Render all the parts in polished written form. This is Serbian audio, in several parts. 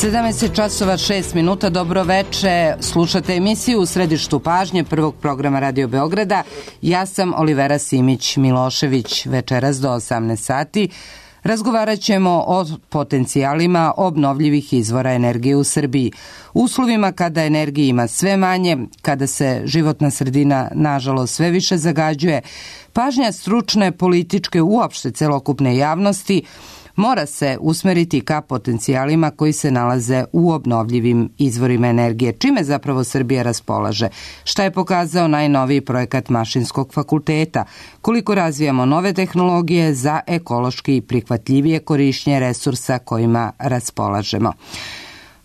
17 časova 6 minuta, dobro veče. Slušate emisiju U središtu pažnje prvog programa Radio Beograda. Ja sam Olivera Simić-Milošević. Večeras do 18 sati razgovarat ćemo o potencijalima obnovljivih izvora energije u Srbiji. U uslovima kada energije ima sve manje, kada se životna sredina nažalost sve više zagađuje, pažnja stručne, političke, uopšte celokupne javnosti mora se usmeriti ka potencijalima koji se nalaze u obnovljivim izvorima energije. Čime zapravo Srbija raspolaže? Šta je pokazao najnoviji projekat Mašinskog fakulteta? Koliko razvijamo nove tehnologije za ekološki i prihvatljivije korišćenje resursa kojima raspolažemo?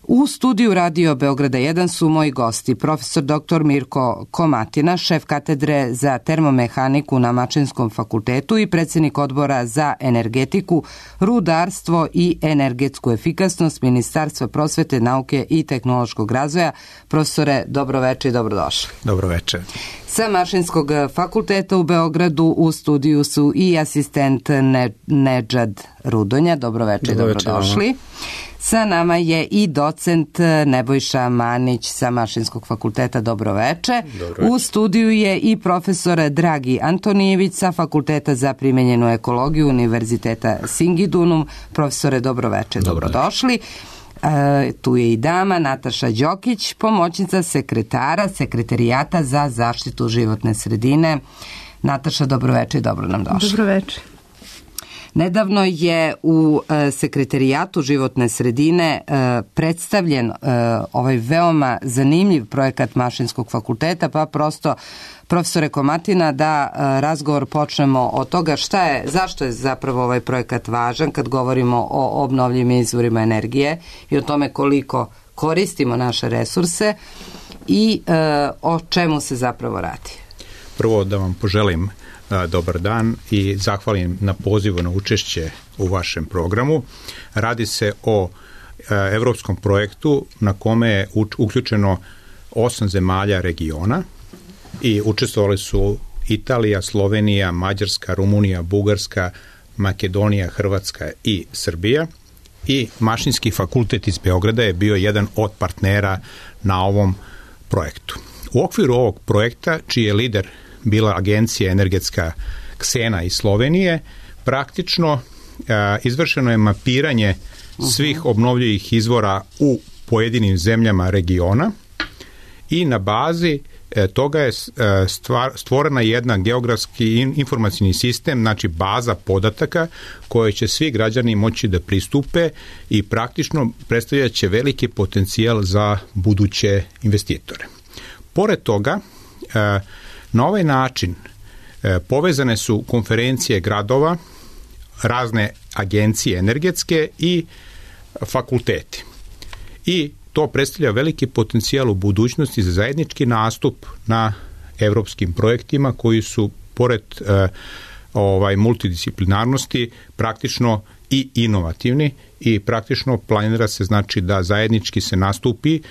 U studiju Radio Beograda 1 su moji gosti, profesor dr. Mirko Komatina, šef katedre za termomehaniku na Mašinskom fakultetu i predsjednik odbora za energetiku, rudarstvo i energetsku efikasnost Ministarstva prosvete, nauke i tehnološkog razvoja. Profesore, dobroveče i dobrodošli. Dobroveče. Sa Mašinskog fakulteta u Beogradu u studiju su i asistent Nedžad Rudonja. Dobroveče i dobrodošli. Sa nama je i docent Nebojša Manić sa Mašinskog fakulteta. Dobroveče. U studiju je i profesor Dragi Antonijević sa Fakulteta za primenjenu ekologiju Univerziteta Singidunum. Profesore, dobroveče. Dobrodošli. Tu je i dama Nataša Đokić, pomoćnica sekretara Sekretarijata za zaštitu životne sredine. Nataša, dobroveče i dobro nam došli. Dobroveče. Nedavno je u Sekretarijatu životne sredine predstavljen ovaj veoma zanimljiv projekat Mašinskog fakulteta, pa prosto, profesore Komatina, da razgovor počnemo od toga zašto je zapravo ovaj projekat važan kad govorimo o obnovljivim izvorima energije i o tome koliko koristimo naše resurse i o čemu se zapravo radi. Prvo da vam poželim dobar dan i zahvalim na pozivu na učešće u vašem programu. Radi se o evropskom projektu na kome je uključeno 8 zemalja regiona i učestvovali su Italija, Slovenija, Mađarska, Rumunija, Bugarska, Makedonija, Hrvatska i Srbija. I Mašinski fakultet iz Beograda je bio jedan od partnera na ovom projektu. U okviru ovog projekta, čiji je lider bila agencija energetska Ksena iz Slovenije, praktično izvršeno je mapiranje svih obnovljivih izvora u pojedinim zemljama regiona i na bazi toga je stvorena jedna geografski informacijni sistem, znači baza podataka koje će svi građani moći da pristupe i praktično predstavljat će veliki potencijal za buduće investitore. Pored toga, na ovaj način povezane su konferencije gradova, razne agencije energetske i fakulteti. I to predstavlja veliki potencijal u budućnosti za zajednički nastup na evropskim projektima koji su pored multidisciplinarnosti praktično i inovativni i praktično planira se znači da zajednički se nastupi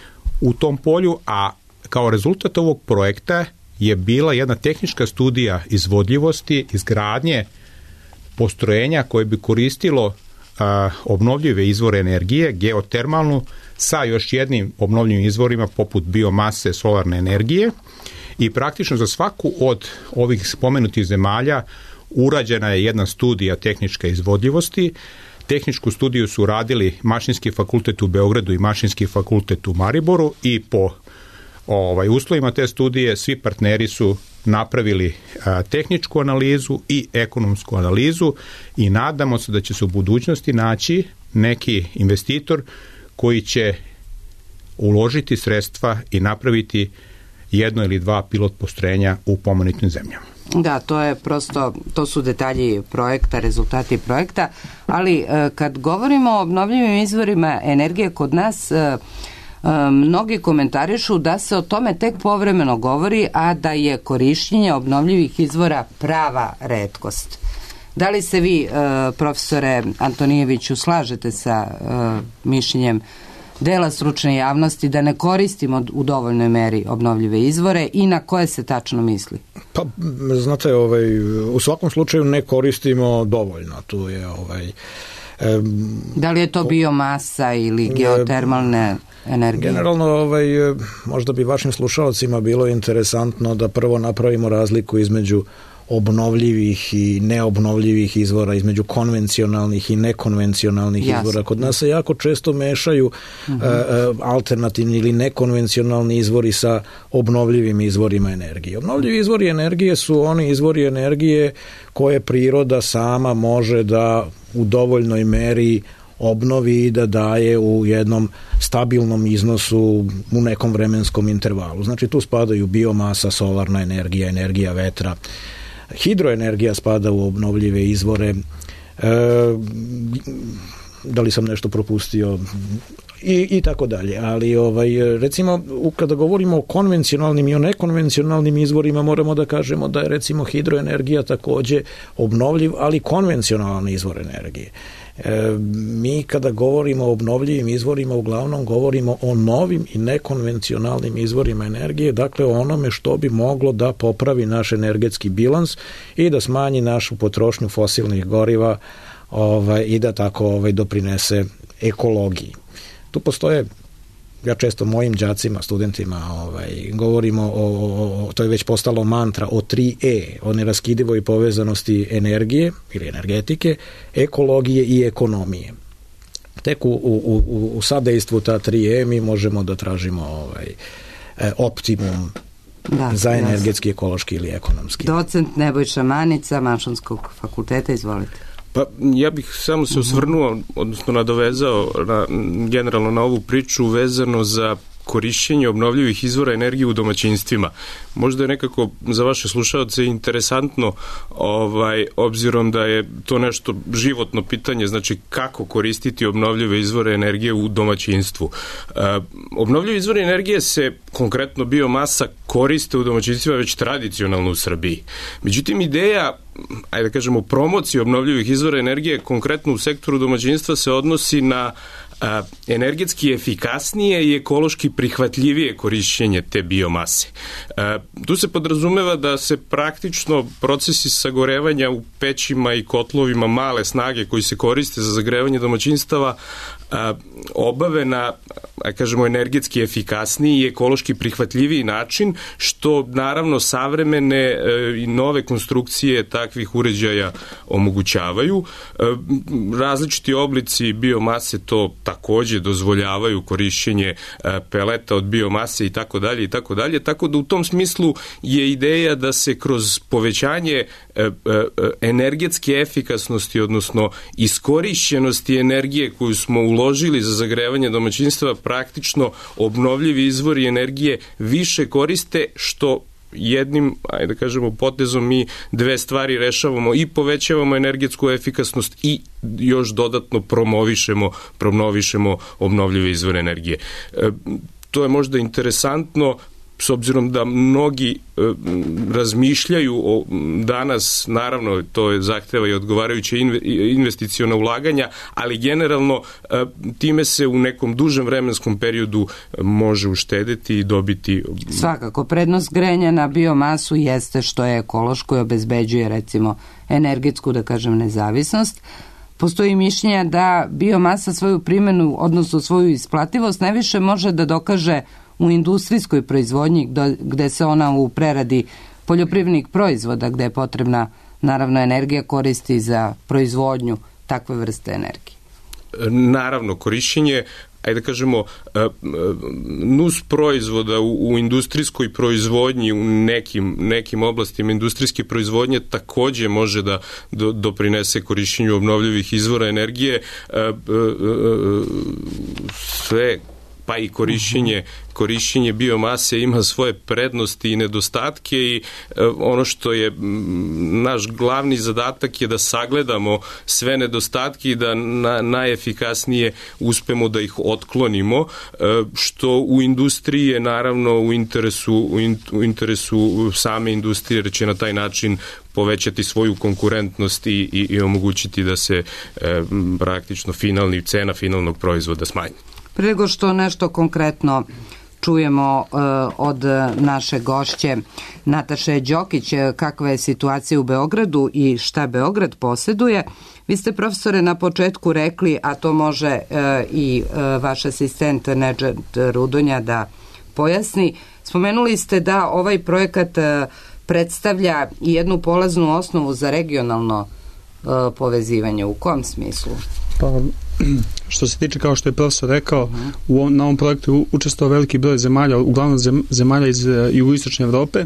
u tom polju, a kao rezultat ovog projekta je bila jedna tehnička studija izvodljivosti izgradnje postrojenja koje bi koristilo obnovljive izvore energije, geotermalnu, sa još jednim obnovljivim izvorima poput biomase, solarne energije i praktično za svaku od ovih spomenutih zemalja urađena je jedna studija tehničke izvodljivosti. Tehničku studiju su radili Mašinski fakultet u Beogradu i Mašinski fakultet u Mariboru i po uslovima te studije svi partneri su napravili tehničku analizu i ekonomsku analizu i nadamo se da će se u budućnosti naći neki investitor koji će uložiti sredstva i napraviti jedno ili dva pilot postrojenja u pomenutim zemljama. Da, to su detalji projekta, rezultati projekta, ali kad govorimo o obnovljivim izvorima energije kod nas, mnogi komentarišu da se o tome tek povremeno govori, a da je korišćenje obnovljivih izvora prava retkost. Da li se vi, profesore Antonijeviću, slažete sa mišljenjem dela stručne javnosti da ne koristimo u dovoljnoj meri obnovljive izvore i na koje se tačno misli? Pa, znate, u svakom slučaju ne koristimo dovoljno. Tu je Da li je to biomasa ili geotermalne energije? Generalno, možda bi vašim slušalcima bilo interesantno da prvo napravimo razliku između obnovljivih i neobnovljivih izvora, između konvencionalnih i nekonvencionalnih izvora. Kod nas se jako često mešaju alternativni ili nekonvencionalni izvori sa obnovljivim izvorima energije. Obnovljivi izvori energije su oni izvori energije koje priroda sama može da u dovoljnoj meri obnovi i da daje u jednom stabilnom iznosu u nekom vremenskom intervalu. Znači tu spadaju biomasa, solarna energija, energija vetra, hidroenergija spada u obnovljive izvore, da li sam nešto propustio i tako dalje. Ali recimo kada govorimo o konvencionalnim i o nekonvencionalnim izvorima moramo da kažemo da je recimo hidroenergija takođe obnovljiv, ali konvencionalan izvor energije. Mi kada govorimo o obnovljivim izvorima uglavnom govorimo o novim i nekonvencionalnim izvorima energije, dakle o onome što bi moglo da popravi naš energetski bilans i da smanji našu potrošnju fosilnih goriva i da tako doprinese ekologiji. Tu postoje, ja često mojim đacima, studentima govorimo to je već postalo mantra o 3E, o neraskidivoj povezanosti energije ili energetike, ekologije i ekonomije. Tek u sadejstvu ta 3E mi možemo da tražimo optimum za energetski, ekološki ili ekonomski. Docent Nebojša Manica, Mašinskog fakulteta, izvolite. Pa ja bih samo se osvrnuo, odnosno nadovezao generalno na ovu priču vezano za korišćenje obnovljivih izvora energije u domaćinstvima. Možda je nekako za vaše slušaoce interesantno, obzirom da je to nešto životno pitanje, znači kako koristiti obnovljive izvore energije u domaćinstvu. Obnovljivi izvori energije se, konkretno biomasa, koriste u domaćinstvima već tradicionalno u Srbiji. Međutim, ideja, ajde da kažemo, promocije obnovljivih izvora energije, konkretno u sektoru domaćinstva, se odnosi na energetski efikasnije i ekološki prihvatljivije korišćenje te biomase. Tu se podrazumeva da se praktično procesi sagorevanja u pećima i kotlovima male snage koji se koriste za zagrevanje domaćinstava obave na, kažemo, energetski efikasniji i ekološki prihvatljiviji način, što naravno savremene i nove konstrukcije takvih uređaja omogućavaju. Različiti oblici biomase to takođe dozvoljavaju, korišćenje peleta od biomase i tako dalje i tako dalje, tako da u tom smislu je ideja da se kroz povećanje energetske efikasnosti, odnosno iskorišćenosti energije koju smo uložili za zagrevanje domaćinstva, praktično obnovljivi izvori energije više koriste, što jednim, ajde da kažemo, potezom mi dve stvari rešavamo: i povećavamo energetsku efikasnost i još dodatno promovišemo obnovljive izvore energije. To je možda interesantno, s obzirom da mnogi razmišljaju danas, naravno to je zahteva i odgovarajuće investiciona ulaganja, ali generalno time se u nekom dužem vremenskom periodu može uštedeti i dobiti. Svakako, prednost grenja na biomasu jeste što je ekološko i obezbeđuje, recimo, energetsku, da kažem, nezavisnost. Postoji mišljenja da biomasa svoju primjenu, odnosno svoju isplativost, najviše može da dokaže u industrijskoj proizvodnji, gde se ona u preradi poljoprivrednih proizvoda, gde je potrebna, naravno, energija, koristi za proizvodnju takve vrste energije. Naravno, korišćenje, ajde da kažemo, nus proizvoda u industrijskoj proizvodnji, u nekim oblastima industrijske proizvodnje takođe može da doprinese korišćenju obnovljivih izvora energije. Sve, pa i korišćenje biomase ima svoje prednosti i nedostatke, i ono što je naš glavni zadatak je da sagledamo sve nedostatke i da najefikasnije uspemo da ih otklonimo, što u industriji je naravno u interesu same industrije, jer će na taj način povećati svoju konkurentnost i omogućiti da se praktično cena finalnog proizvoda smanji. Pre nego što nešto konkretno čujemo od naše gošće Nataše Đokić kakva je situacija u Beogradu i šta Beograd posjeduje. Vi ste, profesore, na početku rekli, a to može i vaš asistent Nedžad Rudonja da pojasni, spomenuli ste da ovaj projekat predstavlja i jednu polaznu osnovu za regionalno povezivanje. U kom smislu? Pa, što se tiče, kao što je profesor rekao, na ovom projektu učestvovao veliki broj zemalja, uglavnom zemalja iz jugoistočne Evrope.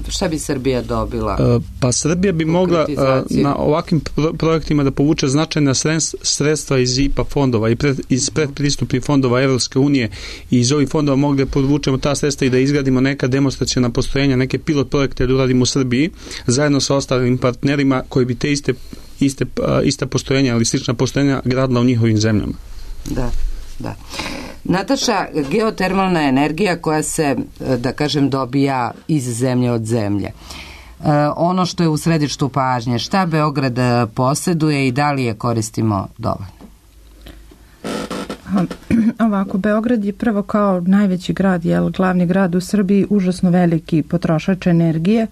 Šta bi Srbija dobila? Pa Srbija bi mogla na ovakvim projektima da povuče značajna sredstva iz IPA fondova i iz predpristupnih fondova Evropske unije i iz ovih fondova mogli da povučemo ta sredstva i da izgradimo neka demonstraciona postrojenja, neke pilot projekte da uradimo u Srbiji, zajedno sa ostalim partnerima koji bi te ista postrojenja ili slična postrojenja gradila u njihovim zemljama. Da. Nataša, geotermalna energija koja se, da kažem, dobija iz zemlje od zemlje. Ono što je u središtu pažnje, šta Beograd posjeduje i da li je koristimo dovoljno? Ovako, Beograd je prvo kao najveći grad, glavni grad u Srbiji, užasno veliki potrošač energije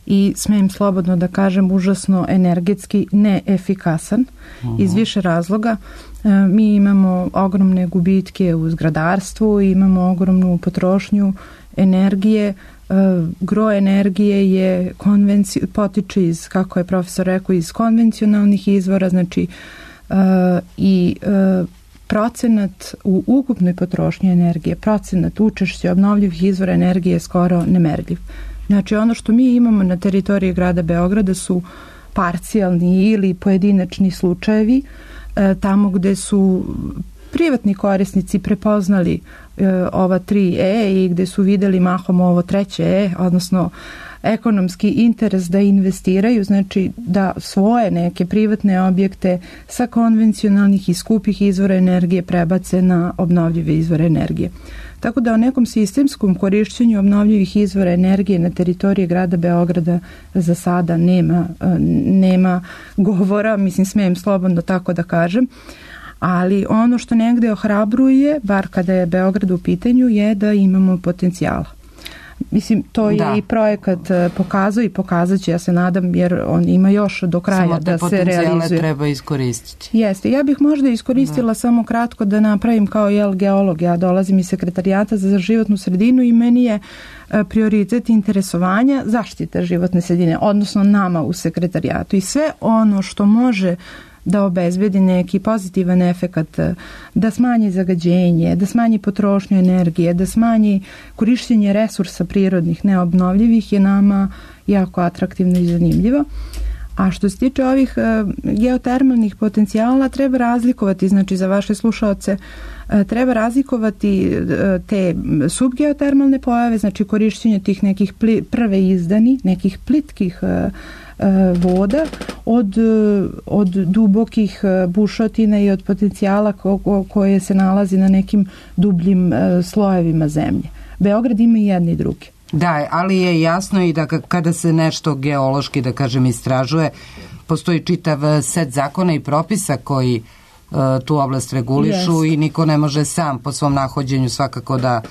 i smijem slobodno da kažem užasno energetski neefikasan iz više razloga. Mi imamo ogromne gubitke u zgradarstvu, imamo ogromnu potrošnju energije, gro energije je potiče iz, kako je profesor rekao, iz konvencionalnih izvora, znači procenat u ukupnoj potrošnji energije, procenat učešća obnovljivih izvora energije je skoro nemerljiv. Znači ono što mi imamo na teritoriji grada Beograda su parcijalni ili pojedinačni slučajevi tamo gde su privatni korisnici prepoznali ova 3E i gde su videli mahom ovo 3E, odnosno ekonomski interes da investiraju, znači da svoje neke privatne objekte sa konvencionalnih i skupih izvora energije prebace na obnovljive izvore energije. Tako da o nekom sistemskom korišćenju obnovljivih izvora energije na teritoriji grada Beograda za sada nema govora, mislim smijem slobodno tako da kažem, ali ono što negde ohrabruje, bar kada je Beograd u pitanju, je da imamo potencijala. Mislim, to je i projekat pokazao i pokazat će, ja se nadam, jer on ima još do kraja da se realizuje. Samo te potencijale treba iskoristiti. Jeste. Ja bih možda iskoristila samo kratko da napravim kao geolog. Ja dolazim iz Sekretarijata za životnu sredinu i meni je prioritet interesovanja zaštita životne sredine, odnosno nama u Sekretarijatu. I sve ono što može da obezbedi neki pozitivan efekat, da smanji zagađenje, da smanji potrošnju energije, da smanji korišćenje resursa prirodnih neobnovljivih je nama jako atraktivno i zanimljivo. A što se tiče ovih geotermalnih potencijala, treba razlikovati, znači za vaše slušaoce, treba razlikovati te subgeotermalne pojave, znači korišćenje tih nekih prve izdani, nekih plitkih voda od dubokih bušotina i od potencijala koje se nalazi na nekim dubljim slojevima zemlje. Beograd ima i jedni i drugi. Da, ali je jasno i da kada se nešto geološki, da kažem, istražuje, postoji čitav set zakona i propisa koji tu oblast regulišu i niko ne može sam po svom nahođenju svakako da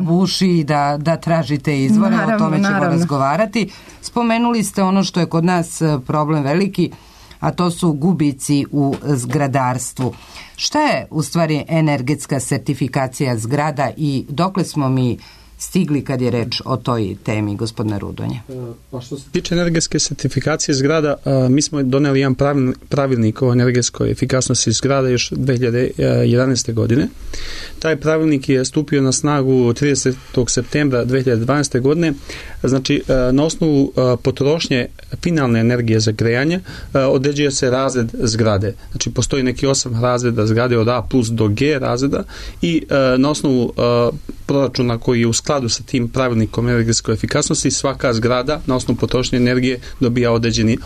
buši i da traži te izvore, o tome ćemo razgovarati. Spomenuli ste ono što je kod nas problem veliki, a to su gubici u zgradarstvu. Šta je u stvari energetska sertifikacija zgrada i dokle smo mi stigli kad je reč o toj temi, gospodine Rudonja? Pa što se tiče energetske sertifikacije zgrada, mi smo doneli jedan pravilnik o energetskoj efikasnosti zgrada još 2011. godine. Taj pravilnik je stupio na snagu 30. septembra 2012. godine. Znači, na osnovu potrošnje finalne energije za grejanje određuje se razred zgrade. Znači, postoji neki 8 razreda zgrade od A plus do G razreda i na osnovu proračuna koji je u skladu sa tim pravilnikom energetske efikasnosti, svaka zgrada na osnovu potrošnje energije dobija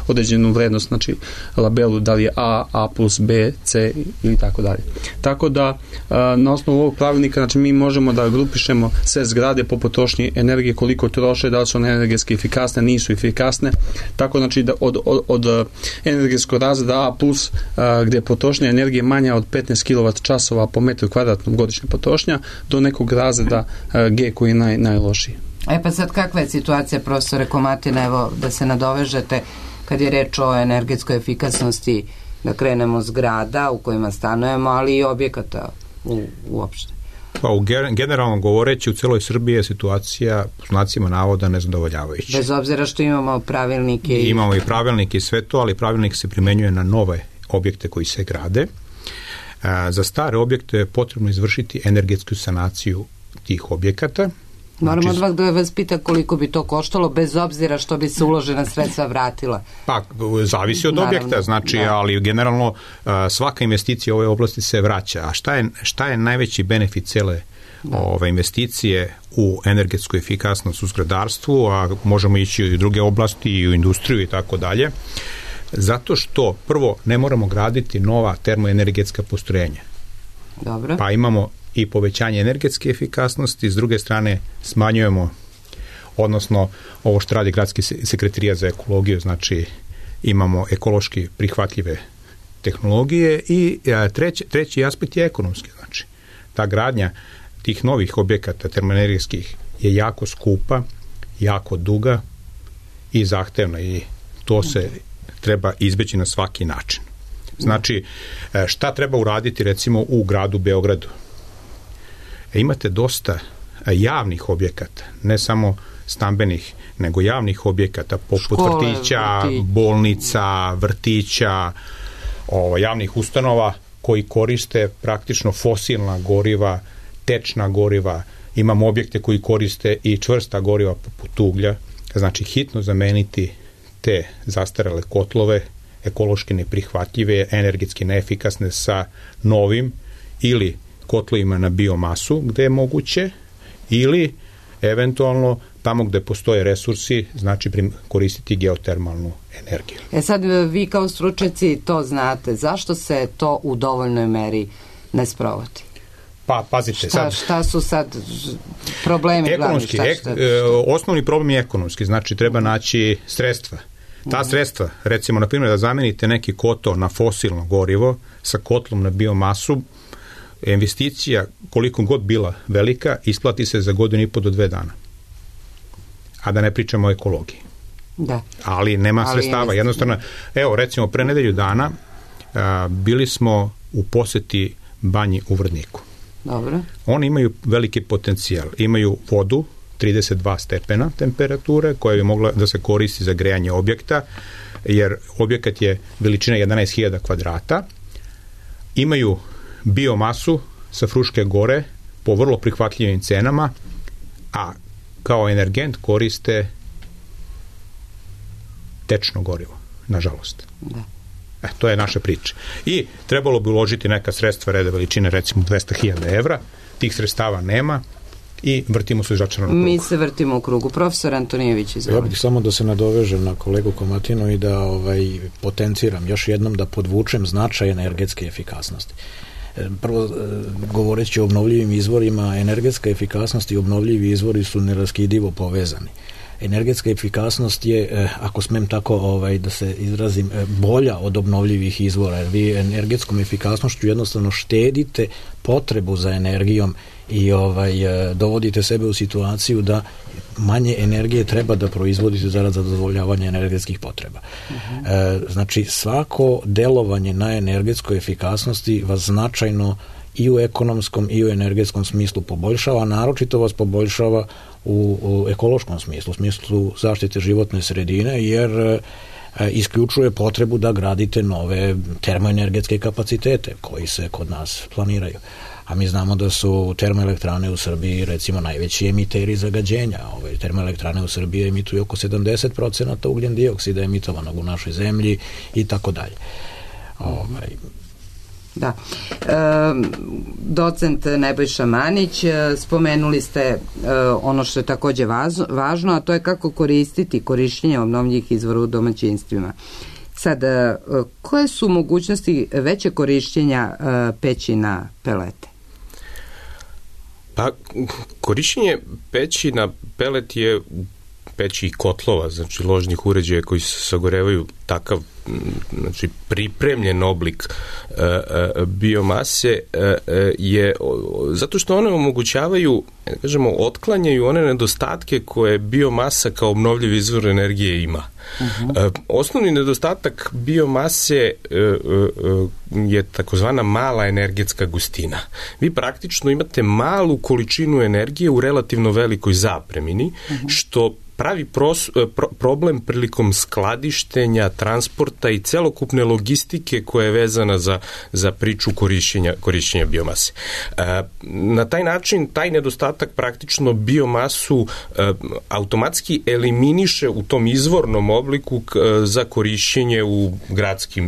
određenu vrednost, znači labelu, da li je A plus, B, C ili tako dalje. Tako da na osnovu ovog pravilnika, znači mi možemo da grupišemo sve zgrade po potrošnji energije, koliko troše, da li su one energetski efikasne, nisu efikasne. Tako znači da od energetskog razreda A plus, gdje je potrošnja energije manja od 15 kWh po metru kvadratnom godišnja potrošnja, do nekog razreda G koji je najlošiji. Pa sad kakva je situacija, profesore Komatina, evo da se nadovežete kad je reč o energetskoj efikasnosti, da krenemo zgrada u kojima stanujemo, ali i objekata uopšte? Pa generalno govoreći, u celoj Srbiji je situacija po znacima navoda nezadovoljavajuća. Bez obzira što imamo pravilnike. Imamo i pravilnike i sve to, ali pravilnik se primenjuje na nove objekte koji se grade. Za stare objekte je potrebno izvršiti energetsku sanaciju tih objekata. Moramo odmah da vas pita koliko bi to koštalo, bez obzira što bi se uložena sredstva vratila. Pa, zavisi od objekta, znači, ali generalno svaka investicija u ovoj oblasti se vraća. A šta je najveći benefit cele ove investicije u energetsku efikasnost u zgradarstvu, a možemo ići i u druge oblasti, i u industriju i tako dalje? Zato što, prvo, ne moramo graditi nova termoenergetska postrojenja. Dobro. Pa imamo i povećanje energetske efikasnosti, s druge strane smanjujemo, odnosno ovo što radi Gradski sekretarijat za ekologiju, znači imamo ekološki prihvatljive tehnologije, i treći aspekt je ekonomski. Znači, ta gradnja tih novih objekata termoenergetskih je jako skupa, jako duga i zahtevna, i to se treba izbeći na svaki način. Znači, šta treba uraditi recimo u gradu Beogradu? Imate dosta javnih objekata, ne samo stambenih, nego javnih objekata poput vrtića, bolnica, vrtića, javnih ustanova koji koriste praktično fosilna goriva, tečna goriva. Imamo objekte koji koriste i čvrsta goriva poput uglja. Znači, hitno zameniti te zastarele kotlove, ekološki neprihvatljive, energetski neefikasne, sa novim ili kotlovima na biomasu gde je moguće, ili eventualno tamo gde postoje resursi, znači koristiti geotermalnu energiju. Sad vi kao stručnjaci to znate, zašto se to u dovoljnoj meri ne sprovodi? Pa, pazite, šta su sad problemi ekonomski, glavni? Osnovni problem je ekonomski, znači treba naći sredstva. Ta sredstva, recimo, na primjer, da zamenite neki kotao na fosilno gorivo sa kotlom na biomasu, investicija, koliko god bila velika, isplati se za 1,5 do 2 dana. A da ne pričamo o ekologiji. Da. Ali nema sredstava. Jednostavno, evo, recimo, pre nedelju dana bili smo u poseti banji u Vrdniku. Dobro. Oni imaju veliki potencijal. Imaju vodu, 32 stepena temperature, koja bi mogla da se koristi za grejanje objekta, jer objekat je veličine 11.000 kvadrata. Imaju biomasu sa Fruške gore po vrlo prihvatljivim cenama, a kao energent koriste tečno gorivo, nažalost. Da. To je naša priča. I trebalo bi uložiti neka sredstva reda veličine, recimo 200.000 evra, tih sredstava nema i vrtimo se u začaranom krugu. Mi se vrtimo u krugu. Profesor Antonijević, izvolite. Ja bih samo da se nadovežem na kolegu Komatinu i da potenciram još jednom, da podvučem značaj energetske efikasnosti. Prvo, govoreći o obnovljivim izvorima, energetska efikasnost i obnovljivi izvori su neraskidivo povezani. Energetska efikasnost je, ako smem tako da se izrazim, bolja od obnovljivih izvora, jer vi energetskom efikasnošću jednostavno štedite potrebu za energijom i dovodite sebe u situaciju da manje energije treba da proizvodite zarad zadovoljavanja energetskih potreba. Znači, svako delovanje na energetskoj efikasnosti vas značajno i u ekonomskom i u energetskom smislu poboljšava, a naročito vas poboljšava u ekološkom smislu, u smislu zaštite životne sredine, jer isključuje potrebu da gradite nove termoenergetske kapacitete koji se kod nas planiraju. A mi znamo da su termoelektrane u Srbiji recimo najveći emiteri zagađenja. Termoelektrane u Srbiji emituju oko 70% ugljen dioksida emitovanog u našoj zemlji i tako dalje. Da. Docent Nebojša Manić, spomenuli ste ono što je takođe važno, a to je kako koristiti korišćenje obnovljivih izvora u domaćinstvima. Sad, koje su mogućnosti veće korišćenja peći na pelete? Pa, korišćenje peći na pelet je peći i kotlova, znači ložnih uređaja koji se sagorevaju takav, znači pripremljen oblik biomase je zato što one omogućavaju, kažemo, otklanjaju one nedostatke koje biomasa kao obnovljiv izvor energije ima. Osnovni nedostatak biomase je takozvana mala energetska gustina. Vi praktično imate malu količinu energije u relativno velikoj zapremini, što pravi problem prilikom skladištenja, transporta i celokupne logistike koja je vezana za priču korišćenja biomase. Na taj način, taj nedostatak praktično biomasu automatski eliminiše u tom izvornom obliku za korišćenje u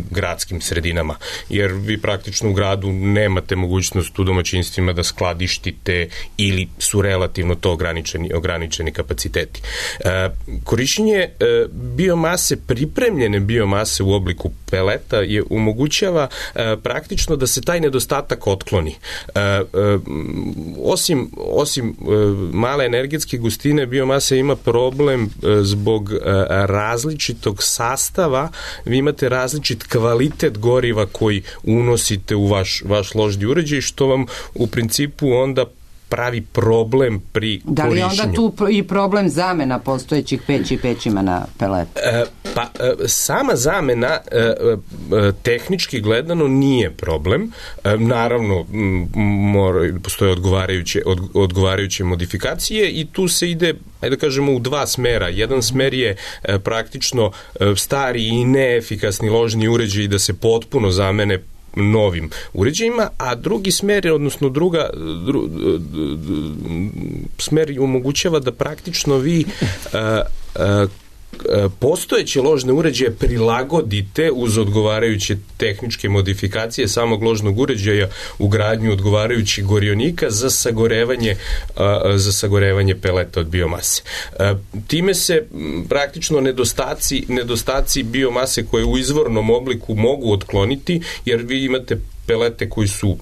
gradskim sredinama. Jer vi praktično u gradu nemate mogućnost u domaćinstvima da skladištite ili su relativno to ograničeni kapaciteti. Korišćenje biomase, pripremljene biomase u obliku peleta je omogućava praktično da se taj nedostatak otkloni. Osim male energetske gustine, biomasa ima problem zbog različitog sastava. Vi imate različit kvalitet goriva koji unosite u vaš ložni uređaj, što vam u principu onda pravi problem pri korišćenju. Da li je onda tu i problem zamena postojećih peći pećima na pelet? Sama zamena tehnički gledano nije problem. Naravno, postoje odgovarajuće modifikacije i tu se ide, ajde da kažemo, u dva smera. Jedan smer je praktično stari i neefikasni ložni uređaji da se potpuno zamene novim uređajima, a drugi smer, odnosno smer omogućava da praktično vi postojeće ložne uređaje prilagodite uz odgovarajuće tehničke modifikacije samog ložnog uređaja, ugradnju odgovarajućih gorionika za sagorevanje peleta od biomase. Time se praktično nedostaci biomase koje u izvornom obliku mogu otkloniti, jer vi imate pelete koji su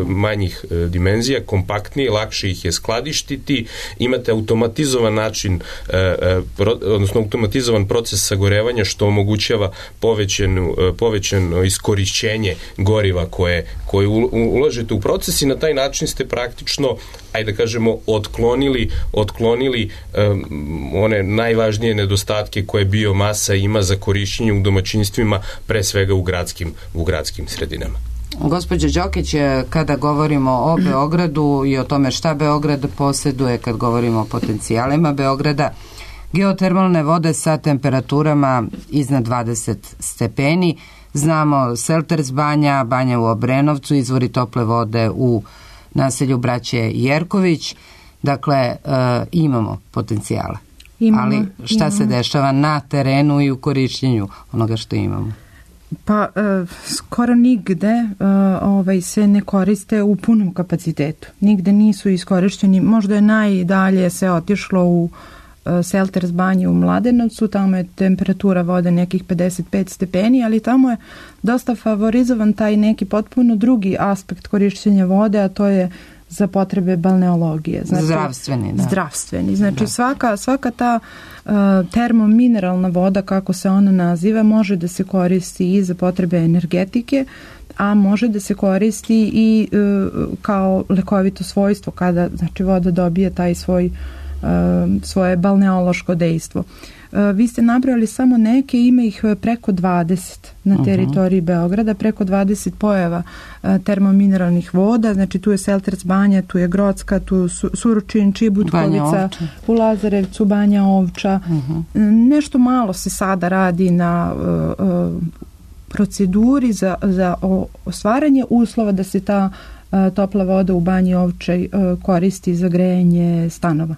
manjih dimenzija, kompaktnije, lakše ih je skladištiti, imate automatizovan način, odnosno automatizovan proces sagorevanja, što omogućava povećano iskorišćenje goriva koje ulažete u proces i na taj način ste praktično, ajde da kažemo, otklonili one najvažnije nedostatke koje biomasa ima za korišćenje u domaćinstvima, pre svega u gradskim sredinama. Gospođo Đokić, kada govorimo o Beogradu i o tome šta Beograd posjeduje, kad govorimo o potencijalima Beograda, geotermalne vode sa temperaturama iznad 20 stepeni, znamo Selters banja, banja u Obrenovcu, izvori tople vode u naselju braće Jerković, dakle imamo potencijale. Ali šta se dešava na terenu i u korišćenju onoga što imamo? Pa skoro nigde se ne koriste u punom kapacitetu. Nigde nisu iskorišteni. Možda je najdalje se otišlo u Selters banji u Mladenovcu, tamo je temperatura vode nekih 55 stepeni, ali tamo je dosta favorizovan taj neki potpuno drugi aspekt korišćenja vode, a to je za potrebe balneologije. Znači, zdravstveni. Znači svaka ta termomineralna voda, kako se ona naziva, može da se koristi i za potrebe energetike, a može da se koristi i kao lekovito svojstvo kada, znači, voda dobije taj svoje balneološko dejstvo. Vi ste nabrali samo neke, ima ih preko 20 na teritoriji Beograda, preko 20 pojava termomineralnih voda, znači tu je Selters banja, tu je Grocka, tu Suručin, Čibutkovica, u Lazarevcu, Banja Ovča. Nešto malo se sada radi na proceduri za ostvaranje uslova da se ta topla voda u Banji Ovčaj koristi za grejanje stanova.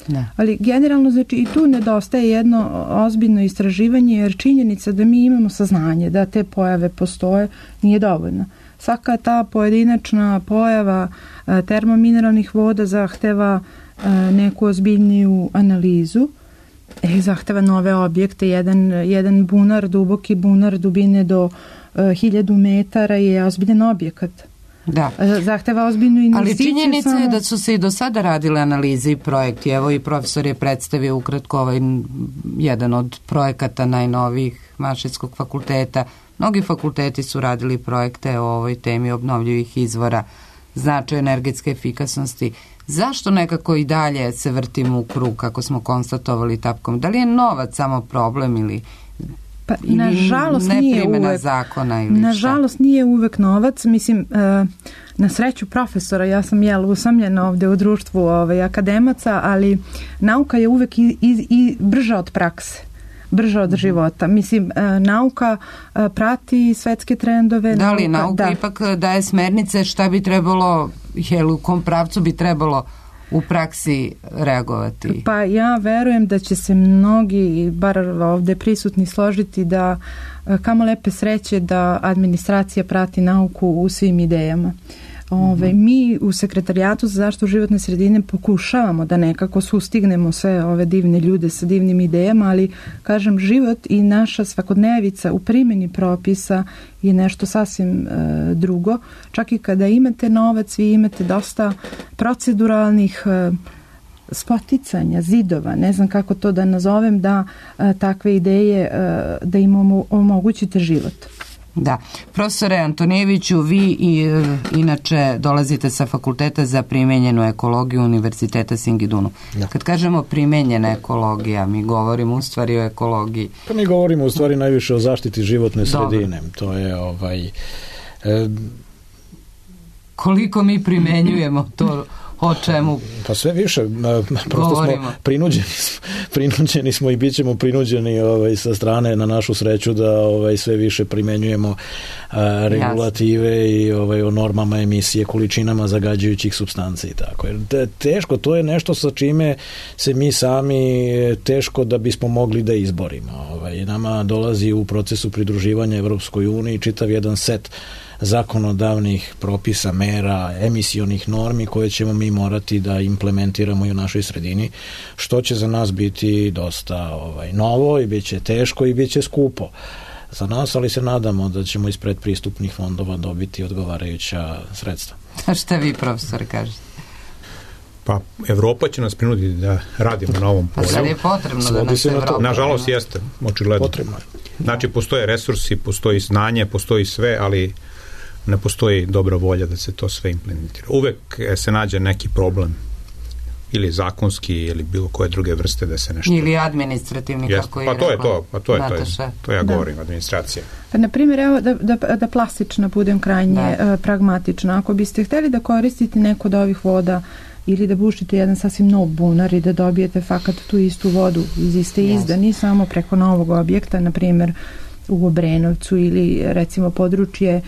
Ne. Ali generalno, znači, i tu nedostaje jedno ozbiljno istraživanje, jer činjenica da mi imamo saznanje da te pojave postoje nije dovoljna. svaka ta pojedinačna pojava termomineralnih voda zahteva neku ozbiljniju analizu, zahteva nove objekte. Jedan bunar, duboki bunar dubine do 1000 metara je ozbiljan objekat. Da. Zahteva ozbiljnu investiciju. Ali činjenica je da su se i do sada radile analize i projekti. Evo i profesor je predstavio ukratko jedan od projekata najnovijih Mašinskog fakulteta. Mnogi fakulteti su radili projekte o ovoj temi obnovljivih izvora, značaj energetske efikasnosti. Zašto nekako i dalje se vrtimo u krug, kako smo konstatovali tapkom? Da li je novac samo problem ili nažalost neprimjena zakona ili nažalost nije uvek novac. Mislim, na sreću profesora, ja sam usamljena ovde u društvu akademaca, ali nauka je uvek i brža od prakse, brža od života. Mislim, nauka prati svetske trendove. Da li nauka ipak daje smernice šta bi trebalo, u kom pravcu bi trebalo u praksi reagovati? Pa ja verujem da će se mnogi, bar ovde prisutni, složiti da kamo lepe sreće da administracija prati nauku u svim idejama. Mi u Sekretarijatu za zaštitu životne sredine pokušavamo da nekako sustignemo sve ove divne ljude sa divnim idejama, ali kažem, život i naša svakodnevica u primjeni propisa je nešto sasvim drugo. Čak i kada imate novac, vi imate dosta proceduralnih spoticanja, zidova, ne znam kako to da nazovem, da takve ideje, da im omogućite život. Da. Profesore Antonijeviću, vi inače dolazite sa Fakulteta za primenjenu ekologiju Univerziteta Singidunu. Da. Kad kažemo primenjena ekologija, mi govorimo u stvari o ekologiji. Pa mi govorimo u stvari najviše o zaštiti životne sredine. Dobro. To je koliko mi primenjujemo to, o čemu pa sve više, prosto govorimo. Smo prinuđeni smo i bit ćemo prinuđeni sa strane, na našu sreću, da sve više primenjujemo regulative i o normama emisije, količinama zagađujućih supstanci i tako. Jer teško, to je nešto sa čime se mi sami teško da bismo mogli da izborimo. Nama dolazi u procesu pridruživanja Evropskoj uniji čitav jedan set zakonodavnih propisa, mera, emisionih normi koje ćemo mi morati da implementiramo i u našoj sredini, što će za nas biti dosta novo i bit će teško i bit će skupo za nas, ali se nadamo da ćemo iz predpristupnih fondova dobiti odgovarajuća sredstva. A šta vi, profesor, kažete? Pa, Evropa će nas prinuditi da radimo na ovom polju. Pa sad je potrebno da nas Evropa... Nažalost jeste, očigledno. Potrebno je. Znači, postoje resursi, postoji znanje, postoji sve, ali ne postoji dobra volja da se to sve implementira. Uvek se nađe neki problem, ili zakonski, ili bilo koje druge vrste da se nešto... Ili administrativni, kako je rekla. To ja govorim, administracija. Pa, na primjer, evo, da plastično budem krajnje pragmatična. Ako biste hteli da koristite neku od ovih voda ili da bušite jedan sasvim nov bunar i da dobijete fakat tu istu vodu iz iste izdani samo preko novog objekta, na primjer u Obrenovcu ili recimo područje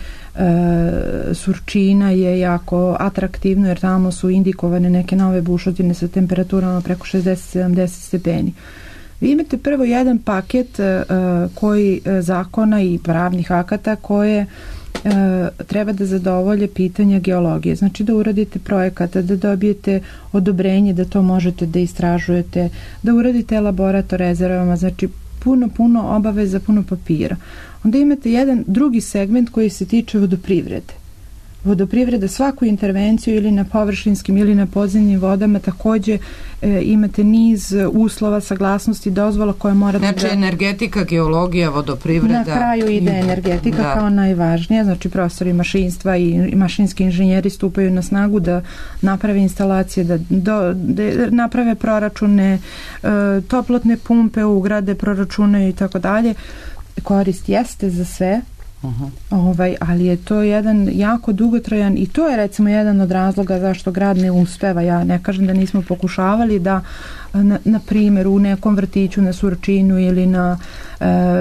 Surčina je jako atraktivno jer tamo su indikovane neke nove bušotine sa temperaturama preko 60-70 stepeni. Vi imate prvo jedan paket koji zakona i pravnih akata koje treba da zadovolje pitanja geologije. Znači da uradite projekata, da dobijete odobrenje da to možete da istražujete, da uradite elaborat o rezervama, znači puno obaveza, puno papira. Onda imate jedan drugi segment koji se tiče vodoprivrede. Vodoprivreda, svaku intervenciju ili na površinskim ili na podzemnim vodama takođe imate niz uslova, saglasnosti, dozvola koje morate znači, energetika, geologija, vodoprivreda. Na kraju ide energetika kao najvažnija, znači profesori mašinstva i mašinski inženjeri stupaju na snagu da naprave instalacije, da naprave proračune, toplotne pumpe ugrade, proračunaju i tako dalje. Korist jeste za sve, ali je to jedan jako dugotrajan i to je recimo jedan od razloga zašto grad ne uspeva. Ja ne kažem da nismo pokušavali da na primjer u nekom vrtiću na Surčinu ili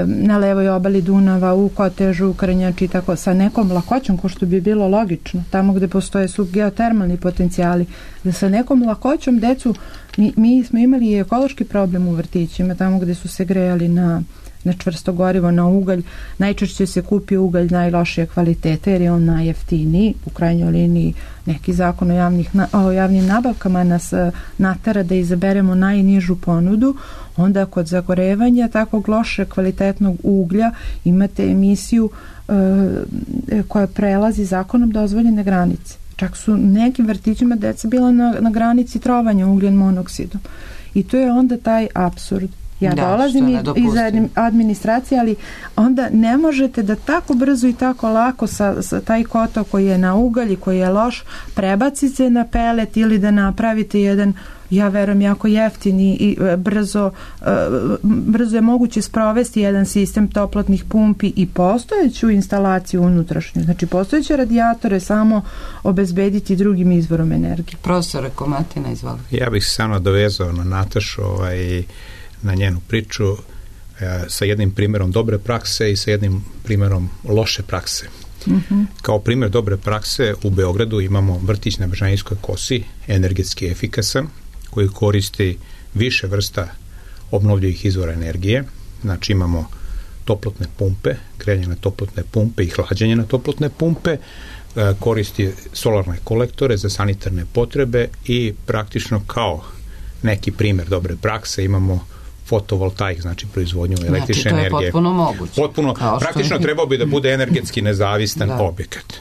na levoj obali Dunava, u Kotežu, u Krnjači, tako sa nekom lakoćom, ko što bi bilo logično, tamo gde postoje su geotermalni potencijali, da sa nekom lakoćom decu, mi smo imali i ekološki problem u vrtićima, tamo gde su se grejali na na čvrsto gorivo, na ugalj. Najčešće se kupi ugalj najlošije kvalitete jer je on najjeftiniji. U krajnjoj liniji neki zakon o javnim nabavkama nas natera da izaberemo najnižu ponudu. Onda kod zagorevanja takvog loše kvalitetnog uglja imate emisiju koja prelazi zakonom dozvoljene granice. Čak su nekim vrtićima deca bila na granici trovanja ugljen monoksidom. I to je onda taj apsurd. Ja dolazim iz administracije, ali onda ne možete da tako brzo i tako lako sa taj kotao koji je na ugalj i koji je loš prebacite na pelet ili da napravite jedan, ja verujem, jako jeftini i brzo je moguće sprovesti jedan sistem toplotnih pumpi i postojeću instalaciju unutrašnju. Znači postojeće radijatore samo obezbediti drugim izvorom energije. Profesore Komatina, izvoli. Ja bih se samo dovezao na Natašu na njenu priču sa jednim primjerom dobre prakse i sa jednim primjerom loše prakse. Kao primjer dobre prakse u Beogradu imamo vrtić na Bežanijskoj kosi, energetski efikasan, koji koristi više vrsta obnovljivih izvora energije. Znači imamo toplotne pumpe, grejanje na toplotne pumpe i hlađenje na toplotne pumpe, koristi solarne kolektore za sanitarne potrebe i praktično kao neki primjer dobre prakse imamo fotovoltaik, znači proizvodnju električne energije. Znači to je potpuno moguće. Praktično trebao bi da bude energetski nezavistan objekat.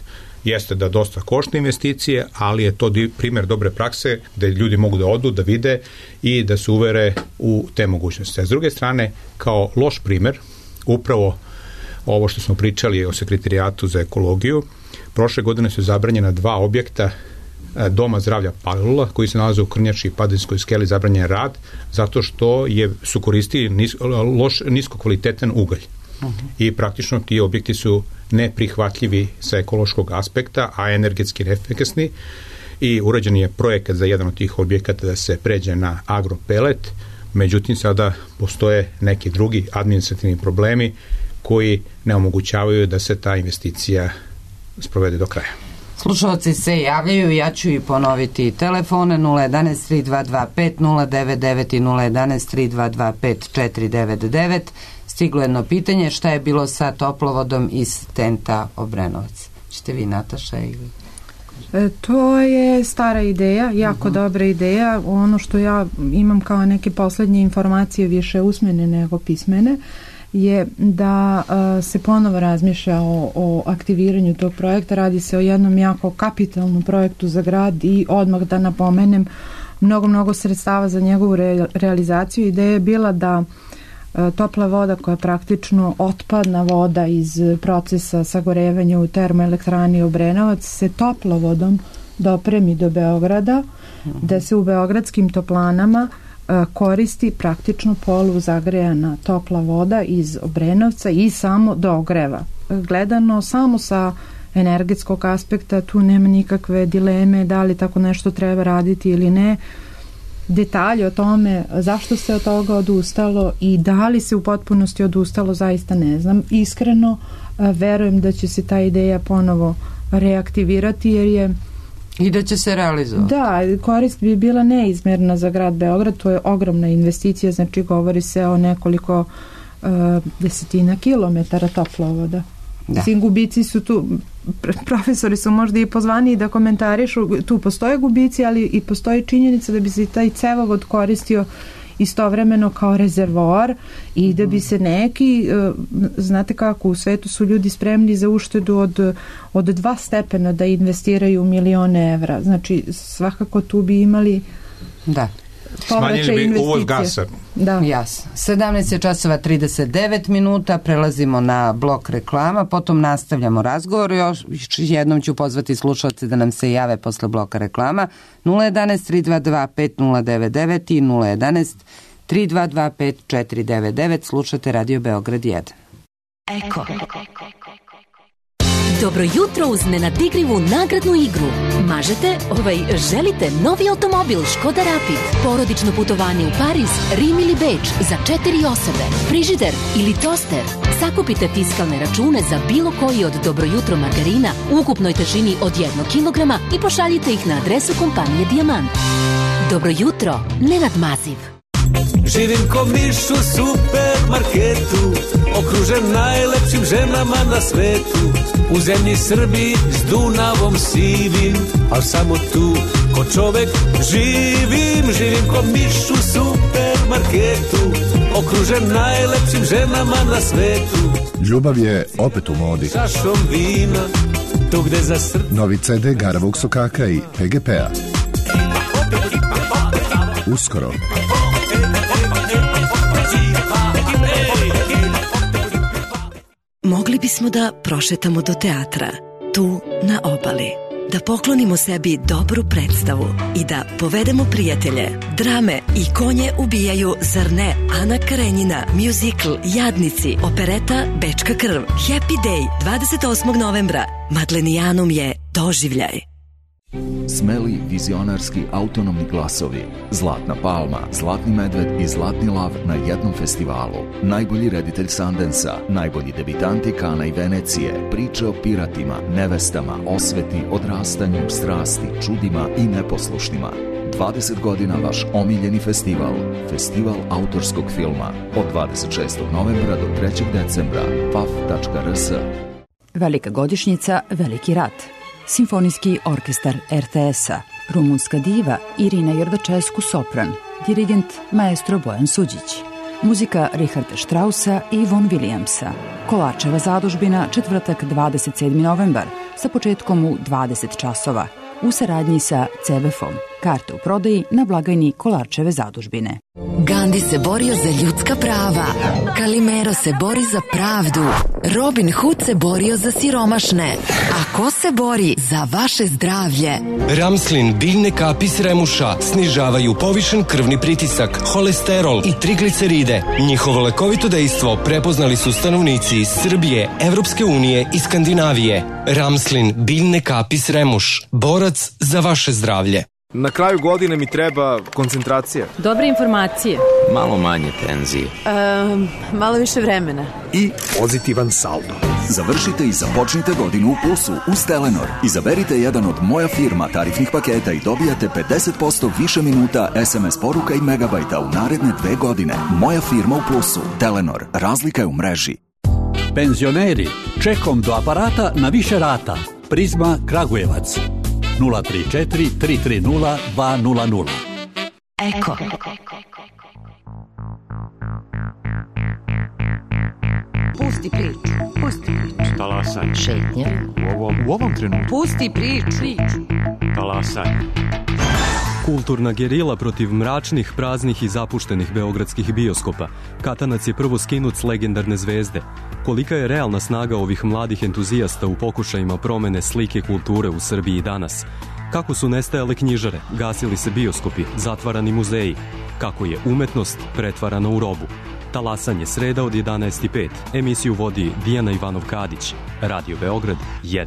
Jeste da dosta košta investicije, ali je to primjer dobre prakse gde ljudi mogu da odu, da vide i da se uvere u te mogućnosti. A s druge strane, kao loš primjer, upravo ovo što smo pričali o Sekretarijatu za ekologiju, prošle godine su zabranjena 2 objekta Doma zdravlja Palilula, koji se nalaze u Krnjači i Padinskoj skeli, zabranjen rad, zato što su koristili niskokvalitetan ugalj. I praktično ti objekti su neprihvatljivi sa ekološkog aspekta, a energetski neefikasni, i urađen je projekat za jedan od tih objekata da se pređe na agropelet, međutim sada postoje neki drugi administrativni problemi koji ne omogućavaju da se ta investicija sprovede do kraja. Slušalci se javljaju, ja ću i ponoviti telefone 011 3225 099 i 011 3225 499. Stiglo jedno pitanje, šta je bilo sa toplovodom iz TENT-a Obrenovac? Ćete vi, Nataša, ili... To je stara ideja, jako dobra ideja. Ono što ja imam kao neke poslednje informacije, više usmene nego pismene, je da se ponovo razmišlja o aktiviranju tog projekta. Radi se o jednom jako kapitalnom projektu za grad i odmah da napomenem mnogo sredstava za njegovu realizaciju. Ideja je bila da topla voda, koja je praktično otpadna voda iz procesa sagorevanja u termoelektrani Obrenovac, se toplovodom dopremi do Beograda, da se u beogradskim toplanama koristi praktično poluzagrejana topla voda iz Obrenovca i samo dogreva. Gledano samo sa energetskog aspekta tu nema nikakve dileme da li tako nešto treba raditi ili ne. Detalje o tome zašto se od toga odustalo i da li se u potpunosti odustalo zaista ne znam. Iskreno verujem da će se ta ideja ponovo reaktivirati jer je i da će se realizovati. Da, korist bi bila neizmjerna za grad Beograd, to je ogromna investicija, znači govori se o nekoliko desetina kilometara toplovoda. Mislim, gubici su tu, profesori su možda i pozvani da komentarišu, tu postoje gubici, ali i postoji činjenica da bi se taj cevovod koristio istovremeno kao rezervoar i da bi se neki, znate kako, u svetu su ljudi spremni za uštedu od 2 stepena da investiraju milione evra. Znači, svakako tu bi imali smanjili bi uvoz gasa. Da. Jasno. 17:39 minuta, prelazimo na blok reklama, potom nastavljamo razgovor. Još jednom ću pozvati slušalce da nam se jave posle bloka reklama 011 322 5099 i 011 3225 499. Slušate Radio Beograd 1. Eko. Dobro jutro uz nenadikrivu nagradnu igru. Želite novi automobil Škoda Rapid, porodično putovanje u Pariz, Rim ili Beč za 4 osobe, frižider ili toster. Sakupite fiskalne račune za bilo koji od Dobro jutro margarina u ukupnoj težini od 1 kilograma i pošaljite ih na adresu kompanije Dijamant. Dobro jutro, Nenad Maziv. Živim ko miš u supermarketu, okružen najlepšim ženama na svetu. U zemlji Srbiji s Dunavom sivim, al samo tu ko čovek živim. Živim ko miš u supermarketu, okružen najlepšim ženama na svetu. Ljubav je opet u modi. Čašom vina, tu gde za srce. Novi CD Garavog Sokaka i PGP-a. Uskoro. Mogli bismo da prošetamo do teatra, tu na obali, da poklonimo sebi dobru predstavu i da povedemo prijatelje. Drame i konje ubijaju, zar ne? Ana Karenjina, muzikl Jadnici, opereta Bečka krv, Happy Day 28. novembra. Madlenijanum je doživljaj. Smeli, vizionarski, autonomni glasovi, Zlatna palma, Zlatni medved i Zlatni lav na jednom festivalu. Najbolji reditelj Sundansa, najbolji debitanti Kana i Venecije, priče o piratima, nevestama, osveti, odrastanju, strasti, čudima i neposlušnima. 20 godina vaš omiljeni festival, Festival autorskog filma, od 26. novembra do 3. decembra, paf.rs. Velika godišnjica, veliki rat. Simfonijski orkestar RTS-a, rumunska diva Irina Jordačescu sopran, dirigent maestro Bojan Suđić, muzika Richarda Straussa i Von Williamsa, Kolarčeva zadužbina, četvrtak 27. novembar, sa početkom u 20 časova, u saradnji sa CVF-om. Karte u prodaji na blagajni Kolarčeve zadužbine. Gandhi se borio za ljudska prava, Kalimero se bori za pravdu, Robin Hood se borio za siromašne. A ko se bori za vaše zdravlje? Ramslin biljne kapi s remuša snižavaju povišen krvni pritisak, holesterol i trigliceride. Njihovo lekovito dejstvo prepoznali su stanovnici iz Srbije, Evropske unije i Skandinavije. Ramslin biljne kapi s remuš, borac za vaše zdravlje. Na kraju godine mi treba koncentracija. Dobre informacije. Malo manje tenzije. Malo više vremena. I pozitivan saldo. Završite i započnite godinu u plusu uz Telenor. Izaberite jedan od Moja firma tarifnih paketa i dobijate 50% više minuta, SMS poruka i megabajta u naredne 2 godine. Moja firma u plusu. Telenor. Razlika je u mreži. Penzioneri, čekom do aparata na više rata. Prizma Kragujevac. 034 330 200. Eko. Pusti priču. Pusti priču. Talasaj. Šetnja. U ovom trenutku. Pusti priču. Talasaj. Kulturna gerila protiv mračnih, praznih i zapuštenih beogradskih bioskopa. Katanac je prvo skinut s legendarne zvezde. Kolika je realna snaga ovih mladih entuzijasta u pokušajima promene slike kulture u Srbiji danas? Kako su nestajale knjižare, gasili se bioskopi, zatvarani muzeji? Kako je umetnost pretvarana u robu? Talasanje, sreda od 11:05. Emisiju vodi Dijana Ivanov-Kadić. Radio Beograd 1.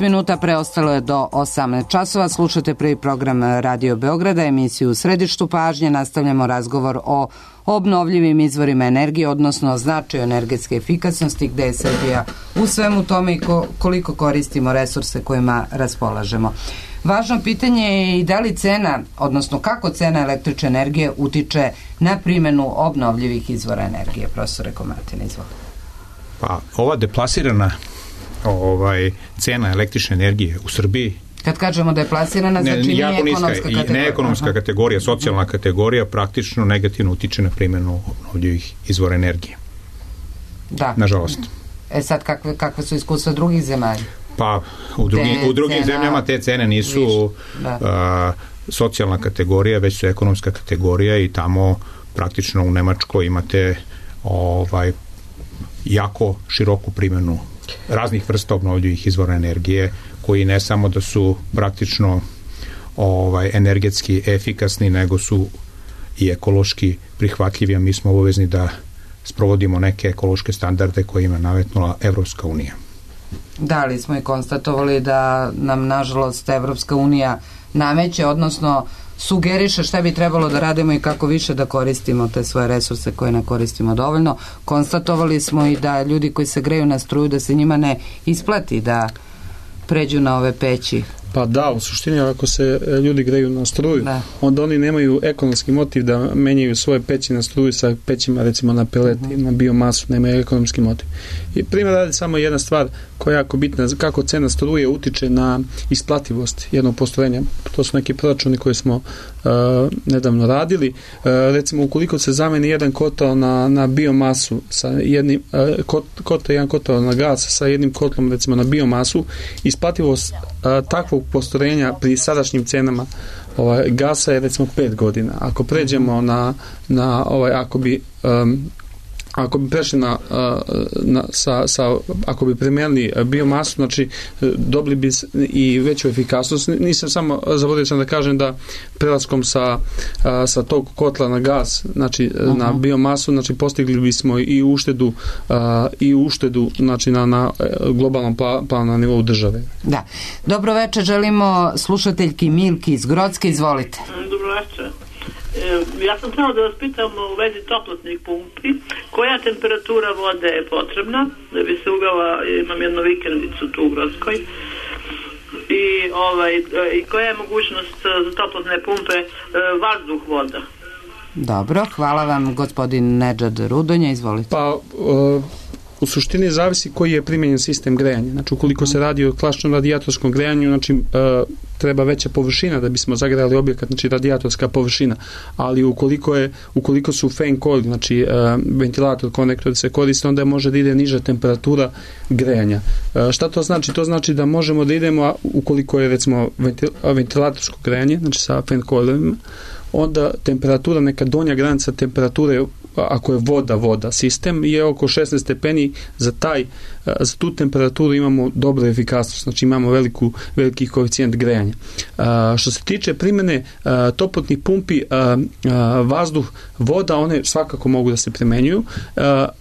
Minuta preostalo je do 18 časova. Slušate prvi program Radio Beograda, emisiju u središtu pažnje. Nastavljamo razgovor o obnovljivim izvorima energije, odnosno značaju energetske efikasnosti, gde je Srbija u svemu tome i koliko koristimo resurse kojima raspolažemo. Važno pitanje je i da li cena, odnosno kako cena električne energije utiče na primjenu obnovljivih izvora energije. Profesore Komatin, izvolite. Pa, ova deplasirana cena električne energije u Srbiji. Kad kažemo da je plasirana, znači nije ekonomska kategorija. Ne ekonomska kategorija, socijalna kategorija praktično negativno utiče na primjenu obnovljivih izvora energije. nažalost. Sad kakve su iskustva drugih zemalja? Pa u drugim zemljama te cene nisu socijalna kategorija, već su ekonomska kategorija i tamo praktično u Nemačkoj imate jako široku primjenu raznih vrsta obnovljivih izvora energije koji ne samo da su praktično energetski efikasni, nego su i ekološki prihvatljivi, a mi smo obavezni da sprovodimo neke ekološke standarde koje ima nametnula Evropska unija. Da, ali smo i konstatovali da nam nažalost Evropska unija nameće, odnosno sugeriše šta bi trebalo da radimo i kako više da koristimo te svoje resurse koje ne koristimo dovoljno. Konstatovali smo i da ljudi koji se greju na struju, da se njima ne isplati da pređu na ove peći. Pa da, u suštini ako se ljudi greju na struju, onda oni nemaju ekonomski motiv da menjaju svoje peći na struju sa pećima recimo na pelet i na biomasu, nemaju ekonomski motiv. I primjer radi samo jedna stvar koja je jako bitna, kako cena struje utiče na isplativost jednog postrojenja. To su neki proračuni koje smo nedavno radili. Recimo ukoliko se zameni jedan kotao na biomasu sa jednim jedan kotao na gas sa jednim kotlom recimo na biomasu, isplativost takvog postrojenja pri sadašnjim cenama gasa je recimo 5 godina. Ako pređemo ako bi prešli ako bi primijenili biomasu, znači dobili bi i veću efikasnost. Zaboravio sam da kažem da prelaskom sa tog kotla na gas, znači na biomasu, znači postigli bismo i uštedu znači na globalnom planu na nivou države. Da. Dobro večer, želimo slušateljki Milki iz Grocke, izvolite. Dobro večer. Ja sam htjela da vas pitam u vezi toplotnih pumpi, koja temperatura vode je potrebna da bi se uvela, imam jednu vikendicu tu u Grockoj, i koja je mogućnost za toplotne pumpe vazduh voda? Dobro, hvala vam gospodin Nedžad Rudonja, izvolite. Pa u suštini zavisi koji je primjenjen sistem grejanja. Znači ukoliko se radi o klasičnom radijatorskom grejanju, znači treba veća površina da bismo zagrejali objekat, znači radijatorska površina, ali ukoliko su fan coil, znači ventilator, konektor se koriste, onda može da ide niža temperatura grejanja. Šta to znači? To znači da možemo da idemo, ukoliko je recimo ventilatorsko grejanje, znači sa fan coilovima, onda temperatura, neka donja granica temperature, ako je voda, sistem je oko 16 stepeni, za tu temperaturu imamo dobru efikasnost, znači imamo veliki koeficijent grejanja. Što se tiče primjene toplotnih pumpi, vazduh, voda, one svakako mogu da se primenjuju,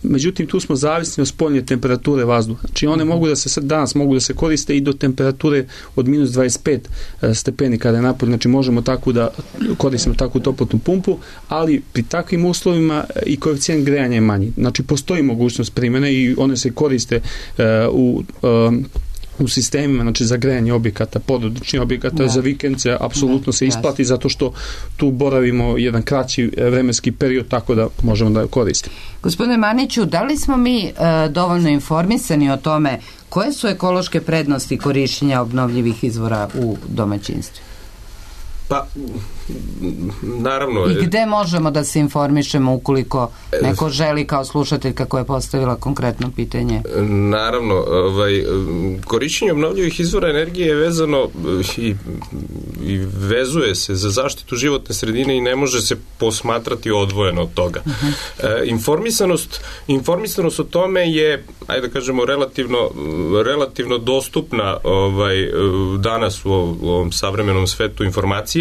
međutim tu smo zavisni od spoljne temperature vazduha. Znači one danas mogu da se koriste i do temperature od minus 25 stepeni kada je napolje, znači možemo tako da koristimo takvu toplotnu pumpu, ali pri takvim uslovima i koeficijent grejanja je manji. Znači postoji mogućnost primjene i one se koriste u sistemima, znači za grejanje objekata, porodičnih objekata, za vikendce apsolutno se isplati, zato što tu boravimo jedan kraći vremenski period, tako da možemo da koristimo. Gospodine Maniću, da li smo mi dovoljno informisani o tome koje su ekološke prednosti korišćenja obnovljivih izvora u domaćinstvu? Pa, naravno. I gde možemo da se informišemo ukoliko neko želi kao slušatelj kako je postavila konkretno pitanje? Naravno, korišćenje obnovljivih izvora energije je vezano i vezuje se za zaštitu životne sredine i ne može se posmatrati odvojeno od toga. Informisanost o tome je, ajde da kažemo, relativno dostupna danas u ovom savremenom svetu informacija,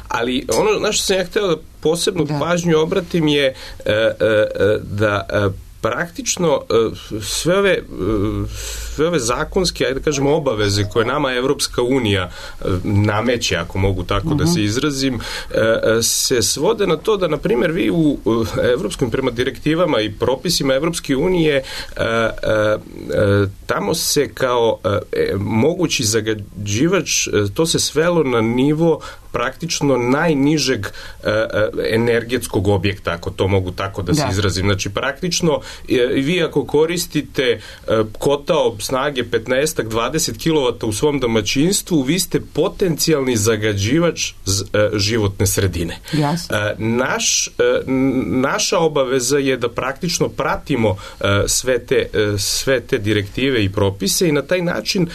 ali ono na što sam ja hteo da posebnu pažnju obratim je da praktično sve ove zakonske, ajde da kažemo, obaveze koje nama Evropska unija nameće, ako mogu tako da se izrazim, se svode na to da, na primjer, vi u evropskim, prema direktivama i propisima Evropske unije tamo se kao mogući zagađivač, to se svelo na nivo praktično najnižeg energetskog objekta, ako to mogu tako da se izrazim. Znači, praktično, vi ako koristite kotao snage 15-20 kW u svom domaćinstvu, vi ste potencijalni zagađivač životne sredine. Naša obaveza je da praktično pratimo sve te direktive i propise i na taj način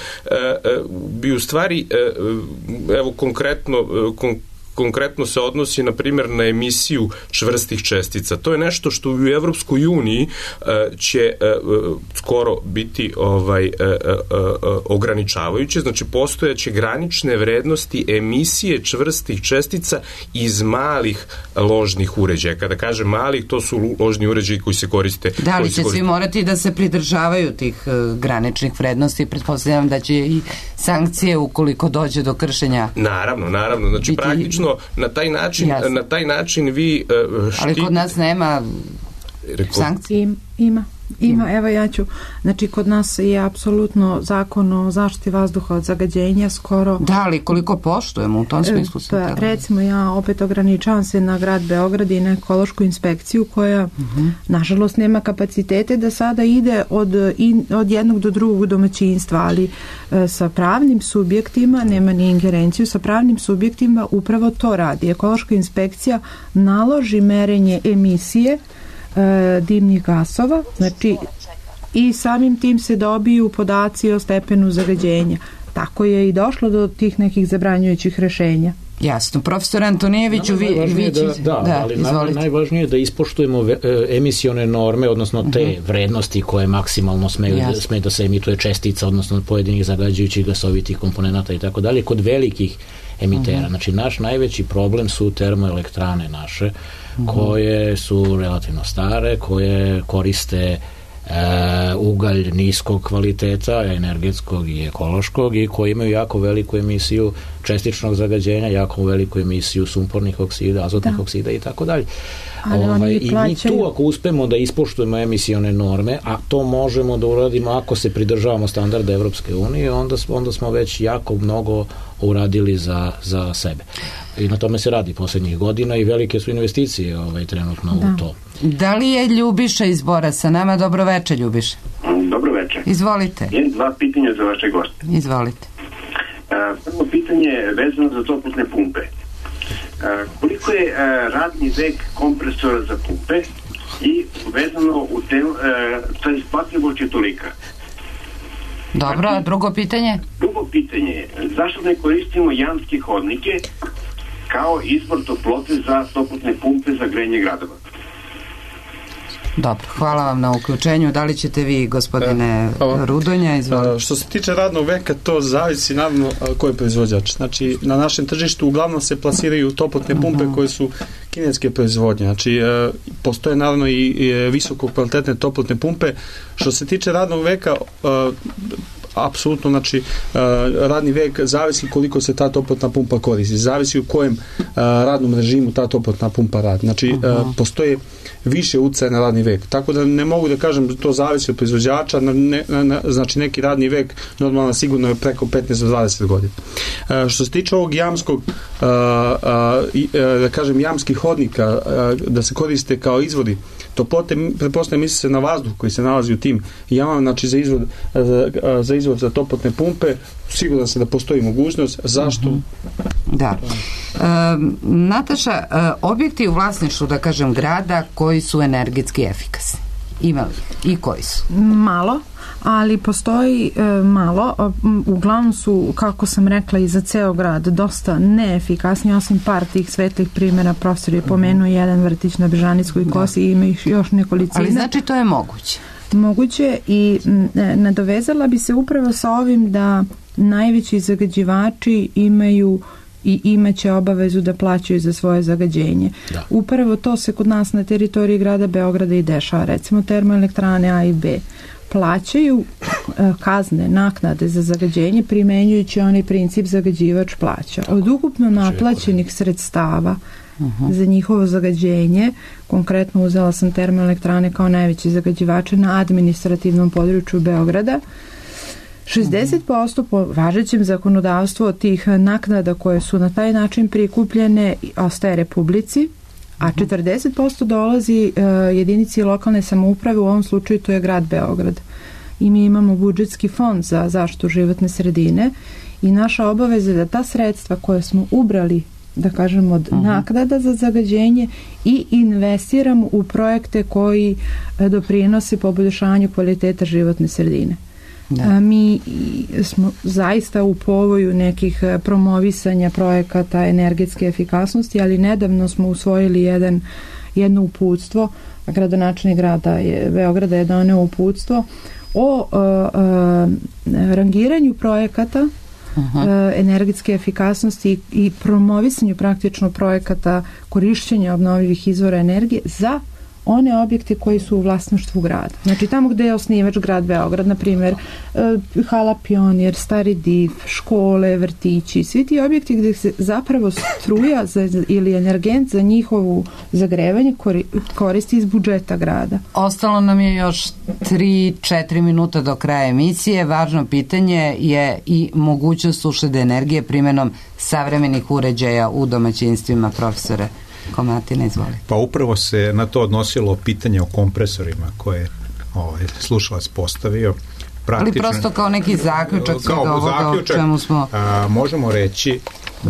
bi u stvari, evo konkretno se odnosi, na primjer, na emisiju čvrstih čestica. To je nešto što u Evropskoj uniji će skoro biti ograničavajuće, znači postojaće granične vrednosti emisije čvrstih čestica iz malih ložnih uređaja. Kada kažem malih, to su ložni uređaji koji se koriste. Da li će svi morati da se pridržavaju tih graničnih vrednosti? Pretpostavljam da će i sankcije ukoliko dođe do kršenja. Naravno. Znači, praktično na taj način vi ali kod nas nema sankcije. Ima, evo ja ću, znači kod nas je apsolutno zakon o zaštiti vazduha od zagađenja skoro... Da, ali koliko poštujemo u tom smislu? Recimo, ja opet ograničavam se na grad Beograd i na ekološku inspekciju koja, nažalost, nema kapacitete da sada ide od jednog do drugog domaćinstva, ali sa pravnim subjektima, nema ni ingerenciju, sa pravnim subjektima upravo to radi. Ekološka inspekcija naloži merenje emisije dimnih gasova, znači i samim tim se dobiju podaci o stepenu zagađenja. Tako je i došlo do tih nekih zabranjujućih rešenja. Jasno. Profesor Antonijeviću, ali najvažnije je da ispoštujemo emisione norme, odnosno te vrednosti koje maksimalno sme da se emituje čestica, odnosno pojedinih zagađujućih gasovitih komponenata i tako dalje, kod velikih emitera. Znači, naš najveći problem su termoelektrane naše, koje su relativno stare, koje koriste ugalj niskog kvaliteta, energetskog i ekološkog, i koji imaju jako veliku emisiju čestičnog zagađenja, jako veliku emisiju sumpornih oksida, azotnih oksida i tako dalje. I mi tu, ako uspemo da ispoštujemo emisione norme, a to možemo da uradimo ako se pridržavamo standarda Evropske unije, onda smo već jako mnogo uradili za sebe. I na tome se radi poslednjih godina i velike su investicije trenutno u to. Da li je Ljubiša iz Bora sa nama? Dobro večer, Ljubiša. Dobro večer. Izvolite. Imam dva pitanja za vaše goste. Izvolite. Prvo pitanje je vezano za toplotne pumpe. Koliko je radni vek kompresora za pumpe i vezano u ta isplativost je tolika? Dobro, a drugo pitanje? Drugo pitanje je, zašto ne koristimo jamske hodnike kao izvor toplote za toplotne pumpe za grejanje gradova? Dobro, hvala vam na uključenju. Da li ćete vi, gospodine Rudonja, izvolite? Što se tiče radnog veka, to zavisi naravno ko je proizvođač. Znači, na našem tržištu uglavnom se plasiraju toplotne pumpe koje su kineske proizvodnje. Znači, postoje naravno i visoko kvalitetne toplotne pumpe. Što se tiče radnog veka, apsolutno, znači, radni vek zavisi koliko se ta toplotna pumpa koristi. Zavisi u kojem radnom režimu ta toplotna pumpa radi. Znači, postoje više uticaja na radni vek. Tako da ne mogu da kažem da to zavisi od proizvođača, znači neki radni vek normalno sigurno je preko 15-20 godina. Što se tiče ovog jamskog, da kažem, jamskih hodnika, da se koriste kao izvodi toplote, pretpostavljam, misli se na vazduh koji se nalazi u tim jamama, znači za izvod za toplotne pumpe, sigurno se da postoji mogućnost. Zašto? Da. Nataša, objekti u vlasništvu, da kažem, grada koji su energetski efikasni, ima li i koji su? Malo, ali postoji malo, uglavnom su, kako sam rekla, i za ceo grad dosta neefikasni, osim par tih svetlih primjera. Profesor je pomenuo jedan vrtić na Bežanickoj kosi i ima još nekolicina. Ali znači to je moguće? Moguće, i nadovezala bi se upravo sa ovim da najveći zagađivači imaju i imaće obavezu da plaćaju za svoje zagađenje. Upravo to se kod nas na teritoriji grada Beograda i dešava. Recimo, termoelektrane A i B plaćaju kazne, naknade za zagađenje primenjujući onaj princip zagađivač plaća. Od ukupno naplaćenih sredstava za njihovo zagađenje, konkretno uzela sam termoelektrane kao najveći zagađivače na administrativnom području Beograda, 60% po važećem zakonodavstvu od tih naknada koje su na taj način prikupljene ostaje Republici, a 40% dolazi jedinici lokalne samouprave, u ovom slučaju to je grad Beograd. I mi imamo budžetski fond za zaštitu životne sredine i naša obaveza je da ta sredstva koje smo ubrali, da kažemo, od naknada za zagađenje i investiramo u projekte koji doprinose poboljšanju kvaliteta životne sredine. Mi smo zaista u povoju nekih promovisanja projekata energetske efikasnosti, ali nedavno smo usvojili jedno uputstvo, gradonačelnik grada Beograda je doneo uputstvo o rangiranju projekata energetske efikasnosti i promovisanju praktično projekata korišćenja obnovljivih izvora energije za one objekte koji su u vlasništvu grada. Znači tamo gde je osnivač grad Beograd, na primjer Hala Pionir, Stari Div, škole, vrtići, svi ti objekti gde se zapravo struja ili energent za njihovu zagrevanje koristi iz budžeta grada. Ostalo nam je još 3-4 minuta do kraja emisije. Važno pitanje je i mogućnost uštede energije primjenom savremenih uređaja u domaćinstvima, profesore Komatina, izvoli. Pa upravo se na to odnosilo pitanje o kompresorima koje je slušalac postavio. Ali prosto kao neki zaključak svega ovoga o čemu smo možemo reći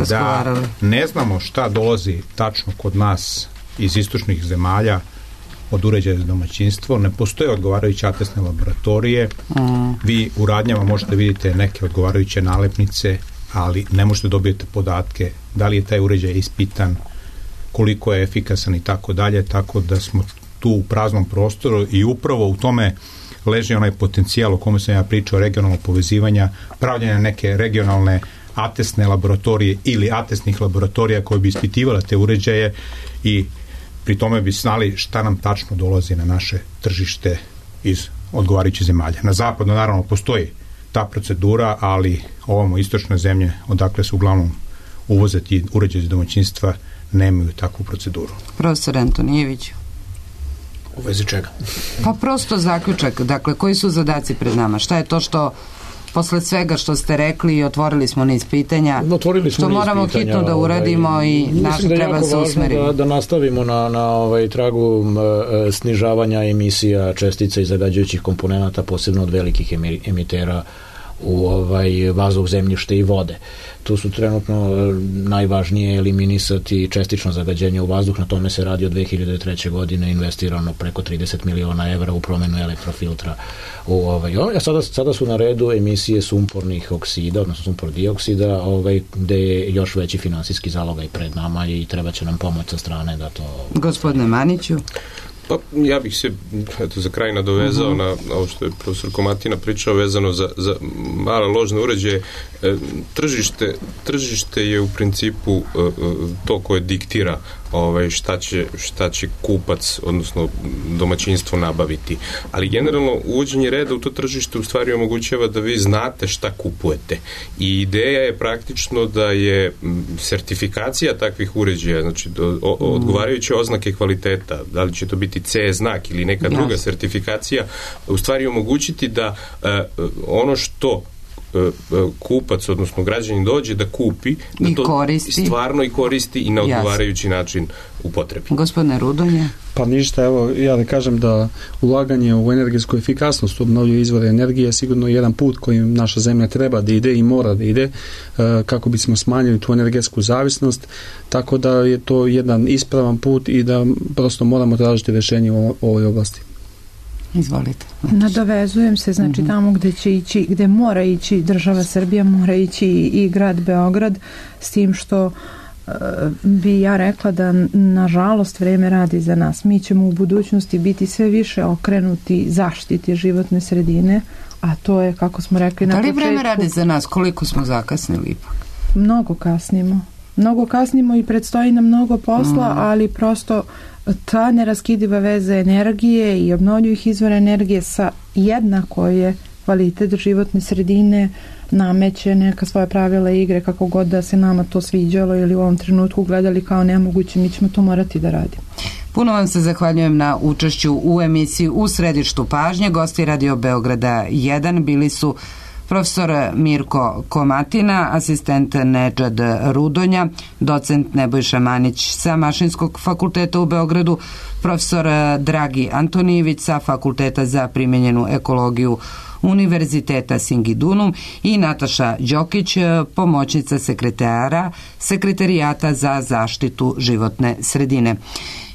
da ne znamo šta dolazi tačno kod nas iz istočnih zemalja od uređaja za domaćinstvo. Ne postoje odgovarajuće atestne laboratorije. Vi u radnjama možete vidjeti neke odgovarajuće nalepnice, ali ne možete dobijete podatke da li je taj uređaj ispitan, koliko je efikasan i tako dalje, tako da smo tu u praznom prostoru i upravo u tome leži onaj potencijal o kome sam ja pričao, regionalnog povezivanja, pravljenja neke regionalne atestne laboratorije ili atestnih laboratorija koje bi ispitivale te uređaje i pri tome bi znali šta nam tačno dolazi na naše tržište iz odgovarajućih zemalja. Na zapadu naravno postoji ta procedura, ali ovamo istočne zemlje, odakle su uglavnom uvoze ti uređaji za domaćinstva, nemaju takvu proceduru. Profesor Antonijević. U vezi čega? Pa prosto zaključak, dakle, koji su zadaci pred nama? Šta je to što posle svega što ste rekli i otvorili smo niz pitanja, što moramo hitno da uradimo i treba se usmeriti? Da nastavimo na tragu snižavanja emisija čestica i zagađujućih komponenata, posebno od velikih emitera u vazduh, zemljište i vode. Tu su trenutno najvažnije eliminisati čestično zagađenje u vazduh, na tome se radi od 2003. godine, investirano preko 30 miliona evra u promenu elektrofiltra. Sada su na redu emisije sumpornih oksida, odnosno sumpor dioksida, gde je još veći finansijski zalogaj pred nama i treba će nam pomoć sa strane da to... Gospodine Maniću. Pa ja bih se za kraj nadovezao na ovo što je profesor Komatina pričao vezano za male ložne uređaje. Tržište je u principu to koje diktira šta će kupac, odnosno domaćinstvo nabaviti. Ali generalno uvođenje reda u to tržište u stvari omogućava da vi znate šta kupujete. I ideja je praktično da je sertifikacija takvih uređaja, znači odgovarajuće oznake kvaliteta, da li će to biti CE znak ili neka druga sertifikacija, u stvari omogućiti da ono što kupac, odnosno građanin dođe da kupi, da to stvarno i koristi i na odgovarajući način upotrebi. Gospodine Rudonje. Pa ništa, evo ja da kažem da ulaganje u energetsku efikasnost, obnovljive izvore energije je sigurno jedan put kojim naša zemlja treba da ide i mora da ide kako bismo smanjili tu energetsku zavisnost, tako da je to jedan ispravan put i da prosto moramo tražiti rješenje u ovoj oblasti. Izvolite. Nadovezujem se, znači tamo gde će ići, gde mora ići država Srbija, mora ići i grad Beograd, s tim što bi ja rekla da nažalost vreme radi za nas. Mi ćemo u budućnosti biti sve više okrenuti zaštiti životne sredine, a to je, kako smo rekli na početku... Da li vreme radi za nas? Koliko smo zakasnili ipak? Mnogo kasnimo i predstoji nam mnogo posla, ali prosto ta neraskidiva veza energije i obnovljivih izvora energije sa jednako je kvalitet životne sredine, nameće neka svoja pravila igre, kako god da se nama to sviđalo ili u ovom trenutku gledali kao nemoguće, mi ćemo to morati da radimo. Puno vam se zahvaljujem na učešću u emisiji U središtu pažnje. Gosti Radio Beograda 1 bili su profesor Mirko Komatina, asistent Nedžad Rudonja, docent Nebojša Manić sa Mašinskog fakulteta u Beogradu, profesor Dragi Antonijević sa Fakulteta za primenjenu ekologiju Univerziteta Singidunum i Nataša Đokić, pomoćnica sekretarijata za zaštitu životne sredine.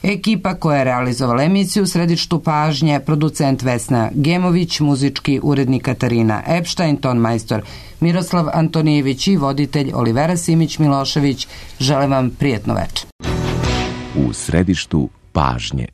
Ekipa koja je realizovala emisiju u središtu pažnje, producent Vesna Gemović, muzički urednik Katarina Epštajn, ton majstor Miroslav Antonijević i voditelj Olivera Simić-Milošević. Želim vam prijetno večer. U središtu pažnje.